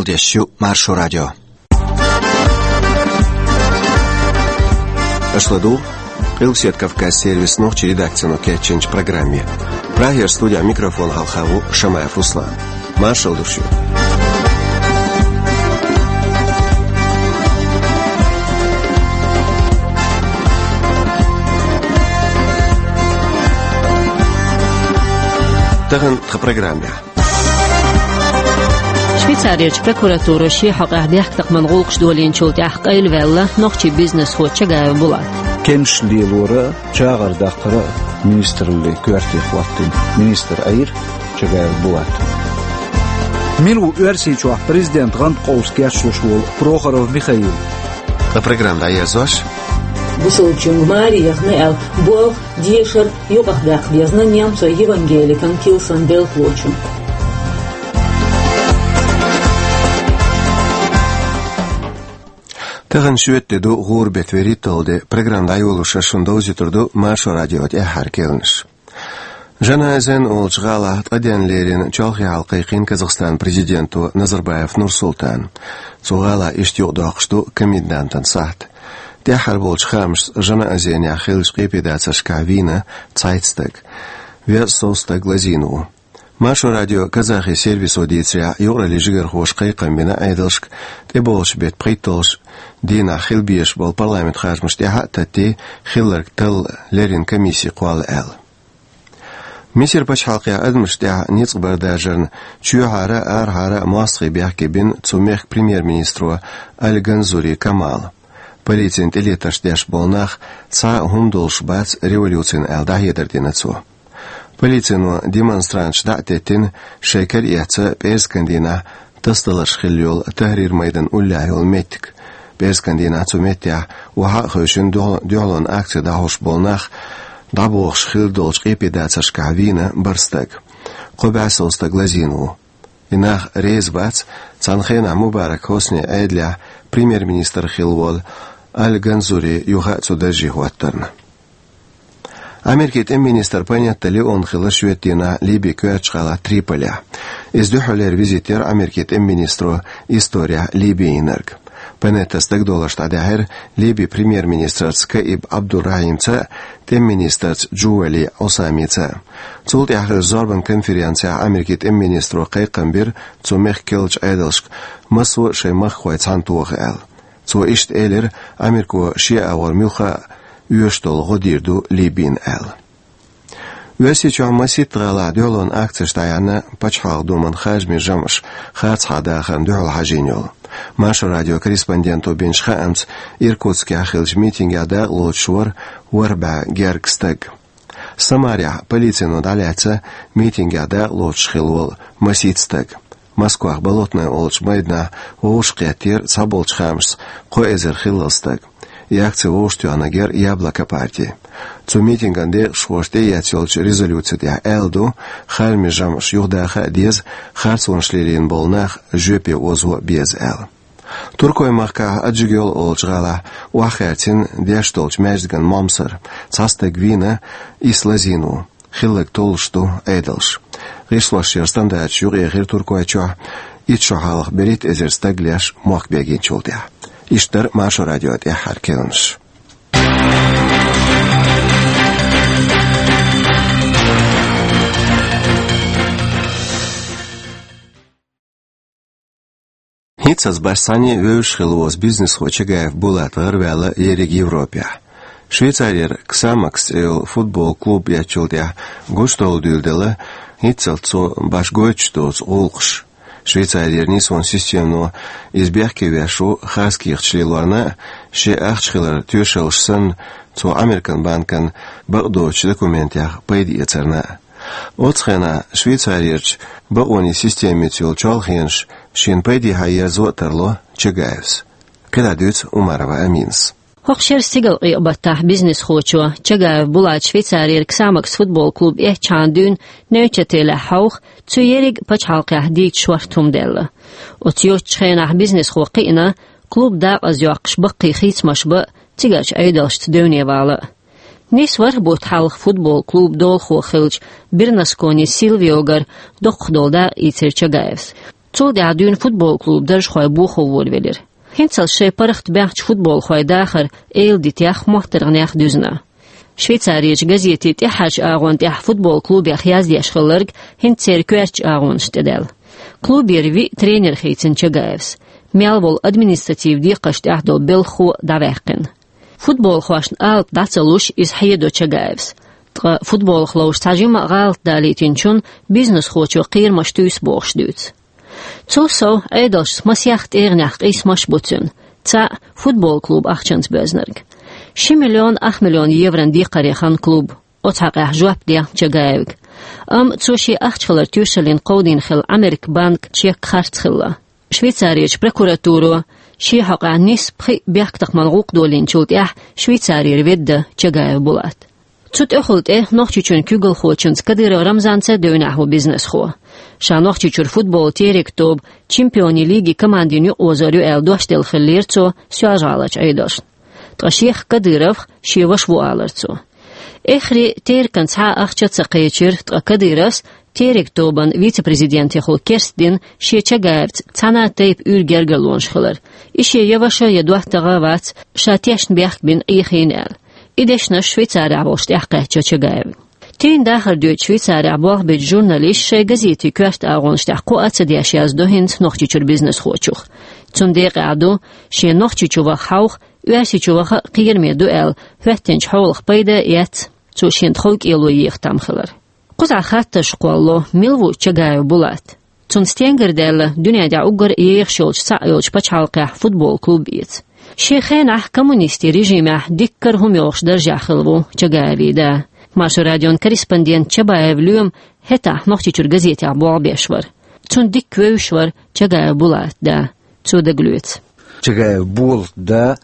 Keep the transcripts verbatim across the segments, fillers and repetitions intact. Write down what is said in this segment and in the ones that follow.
Дешю Маршо радио. Аша ладугӀу Къилбаседа Кавказ сервисан нохчийн редакцино кечйинчу программе. Прагера студехь микрофон хьалха ву Шамаев Руслан. Маршалла ду шуьга. Тахана тхан программехь. Швейцарерчу прокуратуро шен хьокъехь дехкатакхаман гӀуллакхаш долийначул тӀаьхьа къайлаваьлла нохчийн бизнесхо Чагаев Булат. Кемсаш лелоран а, чагӀар даккхаран а министраллин коьрте хӀоттийна министр Ӏийра Чагаев Булат. Мила ву Оьрсийчохь президентан гӀанта къовса кечлуш волу Прохоров Михаил? Тхан программа дӀаерзош. Бусалбачуьнга маре яхна аьлла болх, дешар юкъахдаккха дезна немцойн евангеликан килсан белхалочунна. Тахана шоьтан де ду, гӀуран беттан вуьрхӀитталгӀа де. Программа дӀайолош шуна довзуьйтур ду Маршо радион тӀаьххьара керланаш. Жанаозен олучу гӀалахь ткъа денна лерина чолхе хьала кхайкхийна Казахстанан президенто Назарбаев Нурсултана. Цу гӀалахь иштта юкъадоккхуш ду комендантан сахьт. ТӀаьххьара болчу хаамашца, Жанаозенехь хиллачу къепедацаршкахь вийна цхьайтта стаг. Веза сов стаг лазийна ву. Маршо радион казахи сервисо дийцарехь, юкъараллин жигархоша кхайкхам бина Ӏедалшка тӀебогӀучу беттан пхийтталгӀачу дийнахь хила безаш болу парламентан харжамаш тӀаьхьа а таттий, хилларг талла леррина комисси кхолла аьлла. Мисар пачхьалкхехь адамашна тӀехь ницкъ бардаржарна чоьхьара а, арахьара а мостагӀий бехке бина цу мехкан премьер-министро Аль-Ганзури Камала. Полицина тӀелетарш деш болу нах цхьа а хӀума долуш бац революцина аьлла, дӀахьедар дина цо. Полицино демонстранташ дӀа а теттина, шайн кара эцна пӀераскан дийнахь тасадаларш хилла йолу Тахрир-майдан уллехь йолу меттиг. ПӀераскан дийнахь цу меттехь охьа а хевшина дуьхьал-, дуьхьалонан акци дӀахьош болу нах дӀабохуш хилла долчу къепедацаршкахь вийна бархӀ стаг. Кхо бӀе сов стаг лазийна ву. И нах реза бац цхьана хенахь Мубарак Хьусни Ӏедалехь премьер-министр хилла волу Аль-Ганзури юха а цу дарже хӀоттарна. Америкин тӀеман министр Панетта Леон хилла шоьтан дийнахь Ливин коьртачу гӀалахь Триполехь. Иза дуьххьарлера визит яра Америкин тӀеман министро исторехь Ливи йинарг. Панеттас дагадовларш дӀадаьхьира Ливин премьер-министрца Каиб Абдул-Рахьимца а, тӀеман министрца Джували Ӏусамица а. Цул тӀаьхьа хиллачу зорбан конференцехь Америкин тӀеман министро кхайкхам бира цу мехкан керлачу Ӏедалшка, массо а шайн махкахой цхьаьна тоха аьлла. Цо иштта элира, Америко шен агӀор муьлхха а оьшуш долу гӀо дийр ду Ливина аьлла. Оьрсийчохь масийтта гӀалахь дуьхьалонан акцеш дӀаяьхьна Пачхьалкхан Думан харжамийн жамӀаш харцахьа дахарна дуьхьал хьажийна йолу. Маршо радион корреспонденто бинчу хаамца, Иркутскехь хиллачу митингехь дакъалоцуш вара ворхӀ бӀе гергга стаг. Самарехь полицино дӀалаьцна митингехь дакъалоцуш хилла волу масийтта стаг. Москвахь Болотное олучу майданахь вовшахкхеттера цхьаболчу хаамашца кхо эзар хиллал стаг. И акци вовшахтоьхнарг яра Яблоко парти. Цу митинган декъашхоша тӀеэцна йолчу резолюци тӀехь аьлла ду, харжамийн жамӀаш юхадаха а деза, харцонаш лелийна болу нах жоьпе озо а беза аьлла. Туркойн махкахь Аджигёл олучу гӀалахь охьахаьрцина деш долчу маьждиган момсар. Цхьа стаг вийна, исс лазийна ву. Хилларг толлуш ду Ӏедалша. ГӀишлошъяран стандарташ юкъаэхира Туркойчохь итт шо хьалха берхӀитта эзар стаг леш мохк бегийначул тӀаьхьа. Иштта дара Маршо радион тӀаьххьара керланаш. ХӀинццалц башха цхьанне а вевзаш хилла воцу бизнесхо Чагаев Булат гӀараваьлла ерриг Европехь. Швейцарера Ксамакс цӀе йолу футбол клуб эцначул тӀаьхьа гучудовла дуьйладелла хӀинццалц цо башха гойтуш доцу гӀуллакхаш. Швейцарера нийсонан системано иза бехке веш ву харц кехаташ лелорна а, шен ахча хиларан тоьшаллаш санна, цо Американ банкана бакъдоцучу документех пайда эцарна а. Оцу хенахь Швейцарерчу бакъонийн системица йолу чолхенаш шена пайдехьа ерзо а тарло Чагаевс. КхидӀа дуьйцу Умарова Аминас. ХӀокху шеран стигалкъекъа-баттахь бизнесхочо Чагаев Булата Швейцарера Ксамакс футбол клуб эцначхьана дуьйна Нейчателехь хьовха, цу ерриг а пачхьалкхехь дийца шорта хӀума даьлла. Оцу йоцучу хенахь бизнесхо кхиъна, клуб дакъазйоккхуш баккхий хийцамаш бан а, цигарчу Ӏедалшца девне вала а. Нийса ворхӀ бутт хьалха футбол клубан долахо хиллачу Бернаскони Силвиогара доккхах долу дакъа ийцира Чагаевс. Цул тӀаьхьа дуьйна футбол клуб даржхой бохо волавелира. ХӀинцалц шайн паргӀат баьхначу футболхойн дахар эладитех моттаргӀанех дуьзна. Швейцарерчу газетийн тӀаьххьарчу агӀон тӀехь футбол клубех яздеш хилларг хӀинца церан коьртачу агӀонаш тӀедаьлла. Клубера виъ тренер хийцина Чагаевс. Мел волу административ декхарш тӀехь долу белхахо дӀаваьккхина. Футболхошна алапа дӀа ца луш, иза хьедо Чагаевс. Ткъа футболах ловзуш цхьа жимма а гӀалат далийтинчунна бизнесхочо кхерамаш туьйсу бохуш дуьйцу. Цул сов, Ӏедалшца масех тӀегӀанехь къийсамаш а бу цуьнан. Цхьаъ футбол клуб ахчанца боьзнарг. Ши миллион ах миллион еврон декхаре ханна клуб. Оцу хьокъехь жоп дехна Чагаевга. Амма цо шен ахча хилар тоьшаллина кховдийна хилла Американ банк чек харц хилла. Швейцарерчу прокуратуро шен хьокъехь нисса пхиъ бехктакхаман гӀуллакх долийначул тӀаьхьа Швейцарера ведда Чагаев Булат. Цу тӀехула тӀе Нохчийчоьнан куьйгалхочуьнца Кадыров Рамзанца девнехь ву бизнесхо. Ша Нохчийчуьра футболан терек тоба чемпионийн лиги командин юкъаозор ю аьлла дош делла хиллера цо Соьлжа-ГӀаларчу Ӏедалшна. Ткъа шех Кадыровх шен ваша ву алара цо. Эххар теркан цхьа а ахча а ца кхечира, ткъа Кадыровс терек тобан вице-президентехула керстдина шен Чагаевца цхьана а тайпа уьйр гергарлонаш хилар. И шен я ваша, я доттагӀа а вац, ша тешна бехк бина Ӏехийна аьлла. И дешнаш Швейцарехь волуш тӀекхаьчча Чагаевн. Тайна дахар доьду Швейцарехь болх бечу журналисташа шайн газетийн коьрта агӀонаш тӀехь кхоъ а ца деш яздо хӀинца Нохчийчуьра бизнесхочух. Цунна декъехь ду, шен Нохчийчу ваха хьовха, Оьрсийчу ваха а кхераме ду аьлла, хӀоьттинчу хьолах пайда а эцна, цо шена тхов кӀело еха там хилар. Кхузахь хаттарш кхолло, мила ву Чагаев Булат? Цунна стенгара даьлла дуьнен тӀехь уггар а ехаш йолчу цхьаъ йолчу пачхьалкхехь футбол клуб эца. Шен хенахь коммунистийн режимехь диккара хӀума йолуш даржехь хилла ву Чагаевн да. Маршо радион корреспондент Чабаев Лоьма хӀетахь Нохчийчуьра газетехь болх беш вара. Цунна дикка вевзаш вара Чагаев Булат да. Цо дагалоьцу. Чагаев Булат да,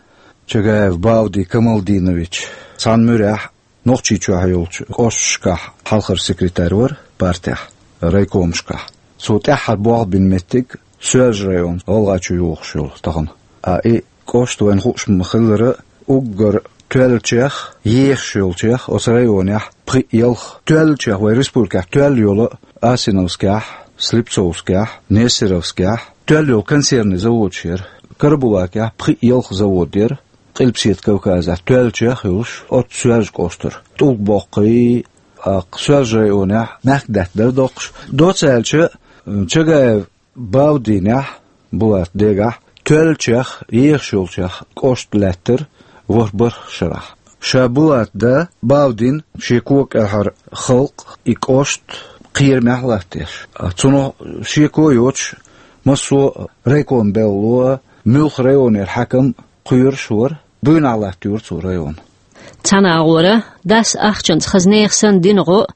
Чагаев Бавди Камалдинович, цхьана муьрехь Нохчийчохь йолчу кӀошташкахь хьалхара секретарь вара партехь, райкомашкахь. Цо тӀаьххьара болх бина меттиг Соьлжа район, ГӀалгӀайчу йогӀуш йолу тахана. А и кӀошт вайна хууш ма хиллара, уггар тоьллачех, ехаш йолчех оцу районехь пхиъ-ялх, тоьллачех вай республикехь тоьлла йолу Асиновскехь, Слепцовскехь, Нестеровскехь тоьлла йолу консервный заводаш яра. Карабулакехь пхиъ-ялх завод яра. Къилбаседа Кавказехь тоьллачех а йолуш, оццу Соьлжа кӀоштара. ТӀулг боккхий, а, Соьлжа районехь мехкдаьтта дара доккхуш. Доцца аьлча, Чагаев Бавдинехь, Булат дегахь, тоьллачех, ехаш йолчех кӀошт лаьттара ворхӀ-бархӀ шарахь. Ша Булат да Бавдин шен кога кӀелхьара халкъ, и кӀошт кхерамехь латтадеш. А цунах шеко а йоцуш, массо а райком белло, муьлхха районера хьаькам кхоьруш вара, буйнахь латтайора цо район. Цхьана агӀора, дас ахчанца хаза нехан санна дина гӀо а,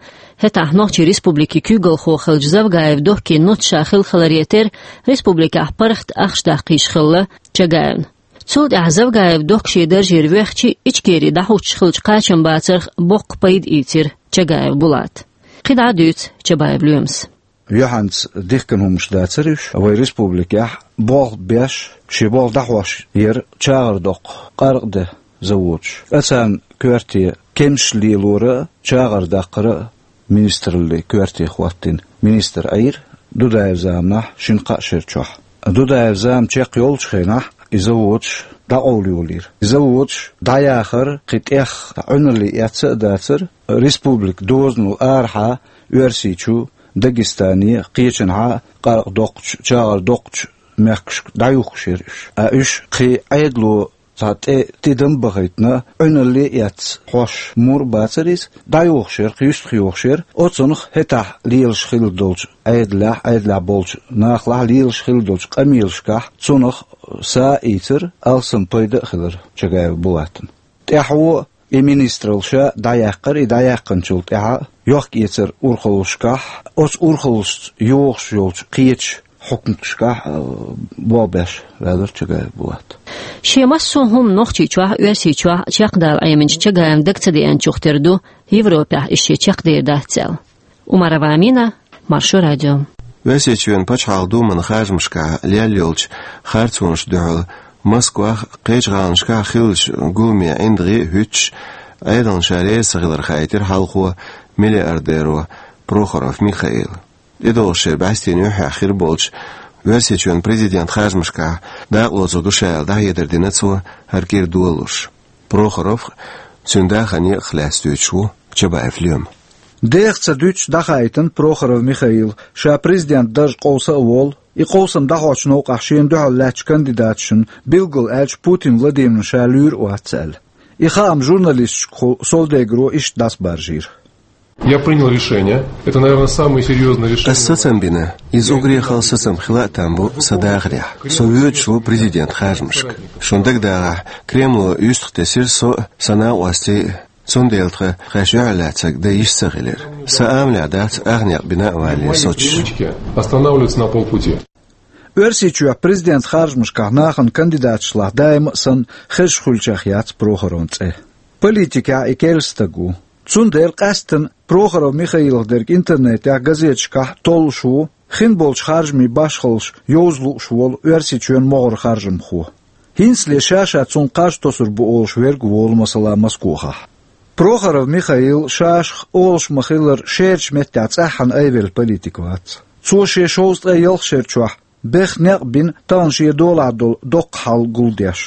хӀетахь Нохчийн Республикин куьйгалхо хиллачу Завгаев Доккин нуц ша хилла хиларе терра, республикехь паргӀат ахча даккха йиш хилла Чагаевна. Цул тӀаьхьа Завгаев Докка шен даржера воьхча, Ичкери дӀахӀуттуш хиллачу кхачамбацарх боккха пайда ийцира Чагаев Булата. КхидӀа а дуьйцу Чабаев Лоьмас. Юьхьанца дихкина хӀуманаш дацара уьш. Вай республикехь болх беш, шен болх дӀахьош яра чагӀар доккху, къаркъа де заводаш. Ткъа царна коьрте кемсаш лелора а, чагӀар даккхара а министраллин коьрте хӀоттийна министр Ӏийра Дудаев заманахь шина-кхаа шера чохь. Дудаев зама чекхйолчу хенахь и заводаш дӀакъовлайолийра. И заводаш дӀаяхар кхин тӀех Ӏуьналле эцна а дацара, республикан дозанал арахьа Оьрсийчу, Дагестане, кхечанхьа къаркъа доккхучу, чагӀар доккхучу мехкашка дӀаюхкуш яра уьш. А уьш кхин Ӏедало цхьа тӀе тидам а бахийтина, Ӏуьналле а эцна, хьош мур а бацара иза, дӀайохуш яра, кхин юьстах йохуш яра. Оцунах хӀетахь лелаш хилла долчу Ӏедалехь, Ӏедалехь болчу нахалахь лелаш хилла долчу къамелашкахь цунах са а ийцира, алсам пайда а хилира Чагаев Булатна. ТӀаьхьо и министралла ша дӀаяьккхира, и дӀаяьккхинчул тӀаьхьа йохк-эцар урхаллашкахь, оцу урхаллашца йогӀуш йолчу кхечу хьукматашкахь, а, болх беш ваьллера Чагаев Булат. Шен массо а хӀума Нохчийчохь а, Оьрсийчохь а чекхдала Ӏеминчу Чагаевн дага ца деанчух тера ду Европехь иза шен чекхдер дац аьлла. Умарова Амина, Маршо радио. Оьрсийчоьнан пачхьалкхан думан харжамашкахь лелла йолчу харцонашна дуьхьал Москвахь а, кхечу гӀаланашкахь а хиллачу гуламе ӀиндагӀий а хӀуьттуш, Ӏедална ша реза ца хилар хаийтира хьалхо миллиардеро Прохоров Михаила. ТӀедогӀуш шеран бӀаьстенан юьххьехь хир болчу Оьрсийчоьнан президент харжамашкахь дакъалоцур ду ша аьлла, дӀахьедар дина цо хӀара кӀира долалуш. Прохоров а, цуьнан дахаран некъах а лаьцна дуьйцуш ву Чабаев Лоьма. Деха ца дуьтуш дӀахаийтина Прохоров Михаила, ша президент дарж къовса а волу, и къовсам дӀахьочу новкъахь шена дуьхьал лаьттачу кандидаташна, билггал аьлча, Путин Владимирна ша луьйр а вац аьлла. И хаам журналисташкахула Совдегаро иштта дӀасабаржийра. Я принял решение. Это, наверное, самое серьёзное решение. Ас сацам бина, иза уггаре хала сацам хила а там бу сан дахарехь. Со воьдуш ву президент харжамашка. Шуна дагадогӀахь, Кремло юьстах тесира со а, сан накъостий а, цундела тхан юьхьарлаьцнарг дан йиш ца хилира. Сан амалехь дац ах некъ бина а валале соцуш. Привычки останавливаться на полпути. Оьрсийчохь президент харжамашкахь нахана кандидаташлахь даима а санна хезаш хуьлучех яц Прохоровн цӀе. Политикехь и керла стаг ву. Цундела къаьсттина Прохоров Михаилах дерг интернетехь, газеташкахь толлуш ву, хин болчу харжамийн башхаллаш йовза лууш волу Оьрсийчоьнан могӀара харжамхо. ХӀинцале ша-ша цунна кхаж тосур бу олуш верг а волу, масала, Москохахь. Прохоров Михаил ша-шах олуш ма-хиллара шерачу меттехь цӀеххьана айвелла политик вац. Цо шен шовзткъе ялх шер чохь беха некъ бина тахана шен долахь долу доккха хьал гулдеш.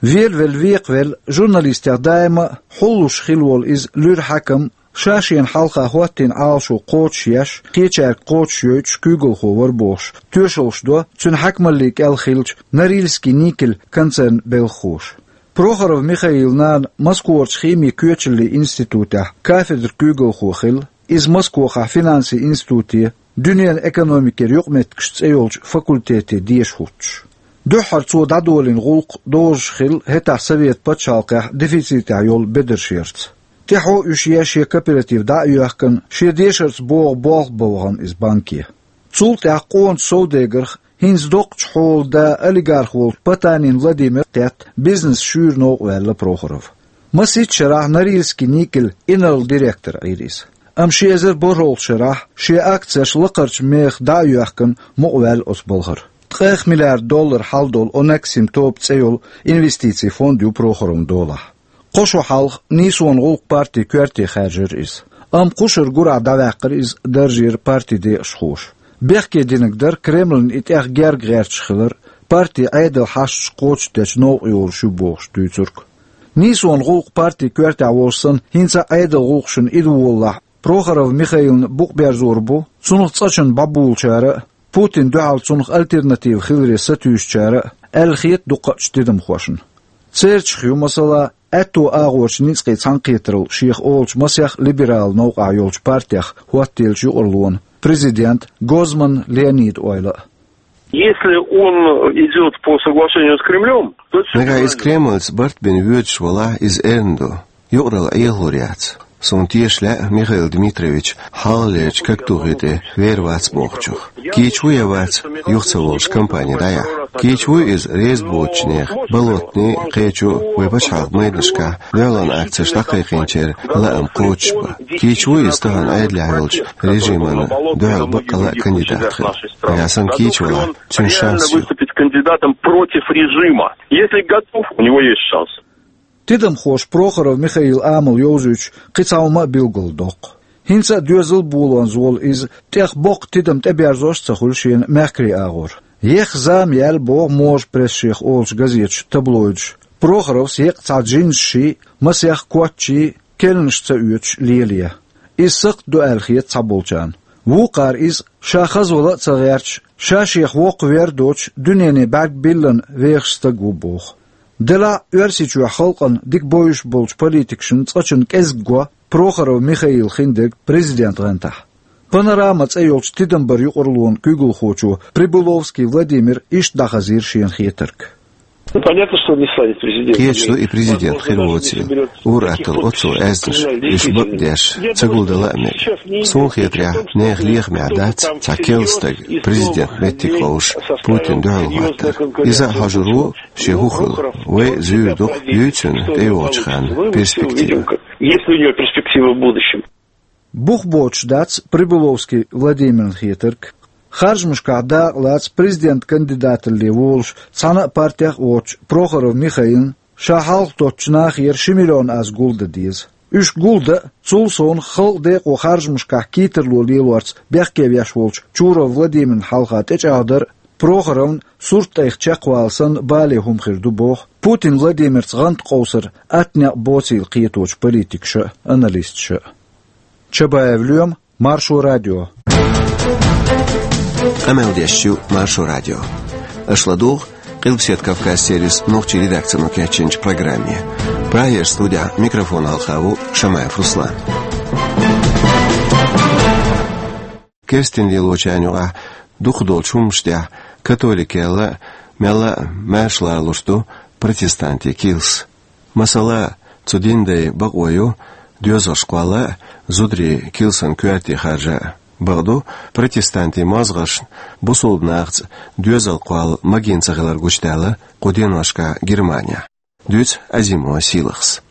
Велавелла, векхавелла, журналистех даима а хьуллуш хилла волу иза луьра хьаькам, ша шена хьалха хӀоттийна Ӏалашо кхочушъеш, кхечаьрга кхочушйойтуш куьйгалхо вара бохуш, тоьшаллаш до цуьнан хьаькамаллин кӀел хиллачу Норильский никель концернан белхахоша. Прохоров Михаилан нана Москварчу химин коьчаллин институтехь кафедран куьйгалхо хилла, иза Москохахь финансийн институте, дуьненан экономикера юкъаметтигаш цӀе йолчу факультете деша хӀуттуш. Дуьххьара цо дӀадолийна гӀуллакх дозуш хилла хӀетахь Совет пачхьалкхехь дефицитехь йолу бедарш ярца. ТӀаьхьо уьш еш шен кооператив дӀа а йоьхкина, шен дешарца богӀу болх бан вахана иза банке. Цул тӀаьхьа къоначу Совдегарх хӀинца доккхачу хьолан да, олигарх волчу Потанин Владимира тӀетта бизнес шуьйра новкъа ваьлла Прохоров. Масийтта шарахь Норильский никель инарла директор Ӏийра иза. Амма ши эзар бархӀолгӀачу шарахь шен акцеш лакхарчу мехах дӀа а йоьхкина, мукъаваьлла оцу балхара. Ткъех миллиард доллар хьал долу Онексим тоба цӀе йолу инвестицийн фонд ю Прохоровн долахь. Кхо шо хьалха Нийсонан гӀуллакх партин коьрте хаьржира иза. Амма кхушара гурахь дӀаваьккхира иза даржера партин декъашхоша. Бехке динарг дара Кремльна и тӀех герга гӀерташ хилар, партин Ӏедалан хьашташ кхочушдечу новкъа йолуш ю бохуш дуьйцург. Нийсонан гӀуллакх партин коьртехь волуш санна, хӀинца а Ӏедалан гӀуллакхашна идволалахь, Прохоров Михаилна букъ берзор бу цунах цӀа чунна бӀобулучара а, Путинна дуьхьал цунах альтернатива хиларе сатуьйсучара а, аьлла хета дукхачу тидамхошна. Церчах ю, масала, аьтту агӀорчу ницкъийн цхьаьнакхетаралла шех олучу масех либералан новкъахь йолчу партех хӀоттаеллачу юкъараллин президент Гозман Леонидан ойла а. Если он идёт по соглашению с Кремлём, то... Нагахь иза Кремльца барт бина воьдуш валахь, иза эрна ду. Юкъаралла Ӏехалур яц. Суна теша лаьа Михаил Дмитриевич хьалхалерчу кагтухе тӀе вер вац бохучух. Кийча ву я вац, юха ца волуш кампани дӀаяхьа. Кийча вуй иза реза боцучу нехан, Болотный, кхечу вай пачхьалкхан майданашкахь дуьхьалонан акцеш дӀакхайкхийначеран лаам кхочушбан. Кийча вуй иза тахана Ӏедалехь йолчу режимана дуьхьал баккъалла а кандидат хила. Нагахь санна кийча валахь, цуьнан шанс ю. Выступить кандидатом против режима. Если готов, у него есть шанс. Тидамхоша Прохоров Михаилан амал йовзуьйтуш кхин цхьа хӀума а билгалдоккху. ХӀинца а доьзал болонза волу иза тӀех боккха тидам тӀеберзош а ца хуьлу шена мехкарийн агӀор. Еха зама яьлла боху можа пресс шех олучу газеташа, таблоидаша. Прохоровс еккъа цхьа джинсаший, масех котташий, керланаш ца оьцуш лелае. Иза сакхт ду аьлла хета цхьаболчарна. Вукхара иза, ша хазвала а ца гӀерташ, ша шех воккхавер а доцуш, дуьнене бӀаьрг биллина вехаш стаг ву боху. Делахь а Оьрсийчохь халкъана дика бовзуш болчу политикашна цкъачунна кӀезиг го Прохоров Михаил хиндерг президент гӀантахь. «Панорама» цӀе йолчу тидам баран юкъараллин куьйгалхочо Прибыловский Владимира иштта дӀахазийра шена хетарг. Ну, понятно, что он не станет президентом. Кхеташ ду, и президент хир воцийла. Ур-атталла оццул аьзнаш, уьш бакъдеш, ца гулдала а мега. Суна хетарехь, нехан лехамехь дац цхьа керла стаг президент меттиг ховш, Путинна дуьхьал хӀоттар. Иза а хьожур ву, шен хӀун хуьлу. Вай а зуьйр ду-кх, юй цуьнан тӀейогӀучу ханна перспектива. Есть ли у него перспективы в будущем? Бух боцуш дац Прибыловский Владимирна хетарг. Харжамашкахь дакъа лаца президент кандидаталле волуш, цхьана а партех а воцучу Прохоров Михаилна ша хьалха доцучу нахера ши миллион аз гулдан деза. Уьш гулдан а, цул совнаха халкъан декъо харжамашкахь кийтарло лелорца бехке веш волчу Чуров Владимирна хьалха тӀечӀагӀдар а, Прохоровн сурт тӀайх чекхвала санна бале хӀума хир ду, боху Путин Владимирца гӀант къовсар атта некъ боцийла кхетачу политикаша а, аналисташа а. Чабаев Лоьма, Маршо радио. Къамел деш ю Маршо радио. Аша ладугӀу Къилбаседа Кавказ сервисан нохчийн редакцино кечйинчу программе. Прагерчу студехь микрофон хьалха ву Шамаев Руслан. Керстина лелочарна юкъахь дукхах долчу хӀуманаш тӀехь католикел а, мелла а маьрша лоруш ду протестантийн килс. Масала, цу динан дайн бакъо ю доьзалш кхолла а, зударий килсан коьрте харжа а. Бакъду, протестантийн мозгӀаршна бусалба нахаца доьзал кхолла магийна ца хилар гучудаьлла кху деношкахь Германехь. Дуьйцу Азимова Сийлахьас.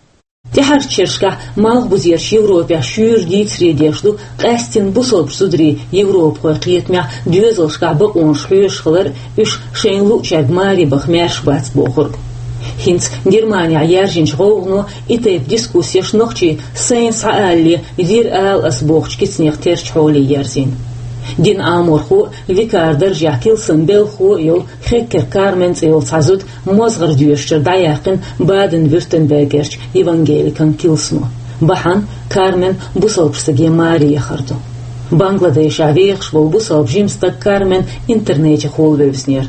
ТӀаьхьарчу шерашкахь Малхбузерчу Европехь шуьйра дийцаре деш ду къаьсттина бусалба зударийн европахойн кхетамехь доьзалшкахь бакъонаш хьоьжуш хилар а, уьш шайна луъучаьрга маре баха маьрша бац бохург. ХӀинца Германехь яьржинчу гӀовгӀано и тайпа дискуссеш нохчийн «Сайна схьаалале, вир ала ас» бохучу кицанех терча хьоле ерзийна. Динан Ӏаморхо а, викаран даржехь килсан белхахо а йолу Хеккер Кармен цӀе йолу цхьа зуда мозгӀара доьшучуьра дӀаяьккхина Баден-Вюртембергерчу евангеликан килсано. Бахьана Кармен бусалба стаге маре яхар ду. Бангладешехь вехаш волу бусалба жима стаг Кармен интернетехула вевзинера.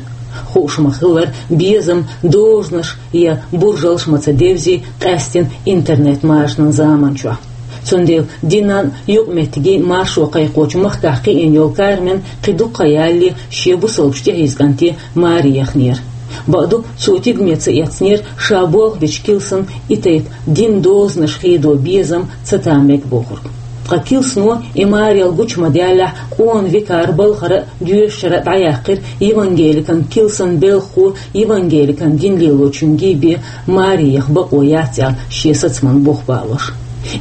Хууш ма-хиллара, безам, дозанаш я буржалш ма ца девзи къаьсттина интернет-машанан заманчохь. Цундела динан а, юкъаметтигийн а маршо кхайкхочу махкахь кхиъна йолу Кармен кхин дукха хан ялале шен бусалбачу тӀехьийза кӀанте маре яхнера. Бакъду, цо тидаме ца эцнера ша болх бечу килсан и тайпа динан дозанаш хедо безам ца там мега бохург. Ткъа килсано и марел гучу ма-даьллехь, къона викаран балхара а, доьшучара а дӀаяьккхира евангеликан килсан белхахо евангеликан дин лелочуьнга бен маре яха бакъо яц аьлла шен сацаман бух балош.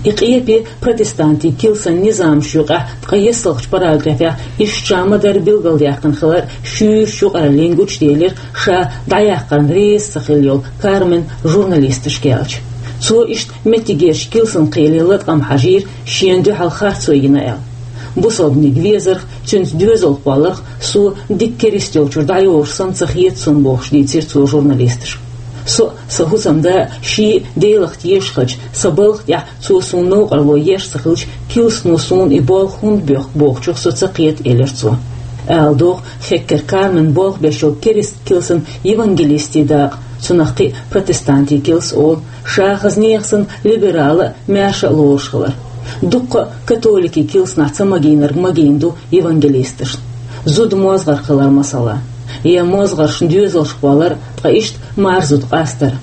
И къепе протестантийн килсан низамаш юкъахь ткъе ессалгӀачу параграфехь иштта ша ма-дарра билгалдаьккхина хилар шуьйрачу юкъараллин гучуделира ша дӀаяккхарна реза ца хилла йолу Кармен журналисташка аьлча. Цо иштта меттигерчу килсан кхеле латкъам хьажийра, шена дуьхьал харцо йина аьлла. Бусалбаниг везарх, цуьнца доьзал кхолларх со дика керист йолчуьра дӀайогӀуш санна ца хета суна, бохуш дийцира цо журналисташка. Со а, сан хӀусамда а шиъ а Делах тешаш хилча, сан балха тӀехь цо суна новкъарло еш ца хилча, килсано суна и болх хӀунда боьхку бохучух со ца кхета, элира цо. Ала догӀу, Хеккер Кармен болх беш йолу керист килсан евангелистийн дакъа, цунах кхин а протестантийн килс олу, ша хаза нехан санна либерал а, маьрша а лоруш хилар. Дуккха а католикийн килсанахь ца магийнарг магийна ду евангелисташна. Зуда мозгӀарх хилар масала, я мозгӀаршна доьзалш кхоллар, ткъа иштта марзуд къастар.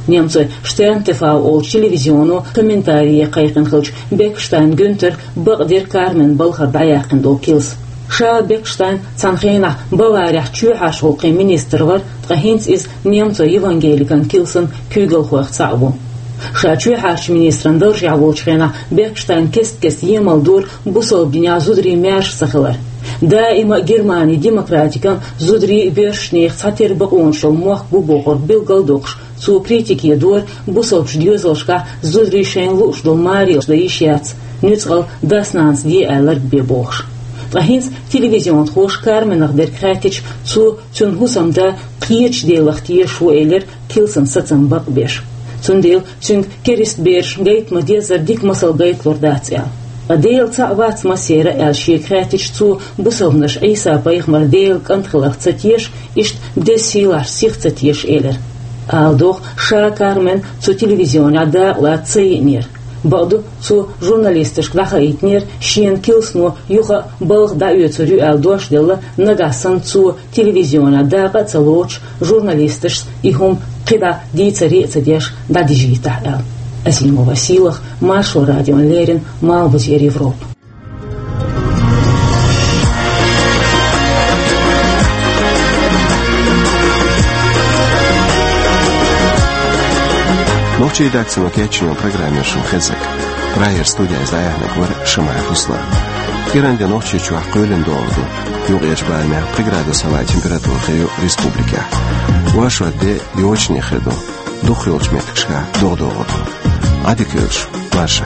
Немцойн Штерн ТВ олучу телевизионо комментарие кхайкхина хиллачу Бекштайн Гюнтера бакъдира Кармен балхара дӀаяьккхина долу килс. Ша Бекштайн цхьана хенахь Баварехь чоьхьарчу гӀуллакхийн министр вара, ткъа хӀинца иза немцойн евангеликан килсан куьйгалхойх цхьаъ ву. Ша чоьхьарчу министран даржехь волчу хенахь Бекштайн кест-кеста емал дора бусалба динехь зударий маьрша ца хилар. Даима а Германин демократикан, зударийн а, боьршачу нехан цхьатерра бакъонаш йолу мохк бу бохург билгал а доккхуш, цо критике дора бусалбачу доьзалшкахь зударийн шайна лууш долу марелаш дан йиш яц, нуьцкъала дас-нанас де аьлларг бен бохуш. Ткъа хӀинца телевизионхоша Карменах дерг хаьттича, цо цуьнан хӀусамда кхечу Делах тешаш ву элира килсан сацам бакъбеш. Цундела цуьнга керист берашна гайта ма-деззара дика масал гайталур дац аьлла. Ткъа Дела цхьаъ вац массеран а аьлла шега хаьттича, цо бусалбанаш Ӏийса-пайхамар Делан кӀант хиларх ца теша, иштта деза сийлахьчу сих ца теша элира. Ала догӀу, ша Кармен цу телевизионехь дакъалаца ца йиънера. Бакъду, цо журналисташка дӀахаийтинера, шена килсано юха а балха дӀаоьцур ю аьлла дош делла, нагахь санна цо телевизионехь дакъа а ца лоцуш, журналисташца и хӀума кхидӀа дийцаре а ца деш, дӀадижийтахь аьлла. Азимова Сийлахь, Маршо радиона леррина, Малхбузера Европа. Нохчийн редакцино кечйинчу программе шун хезира. Прагера студехь иза дӀаяьхьнарг вара Шамаев Руслан. КӀиранде Нохчийчохь кхоьлина догӀур ду. Юккъерчу барамехь пхи градус хьалха температура хир ю республикехь. Оршот де йочане хир ду. Дукхах йолчу меттигашкахь догӀа догӀур ду. Ӏадика йойла шу, марша.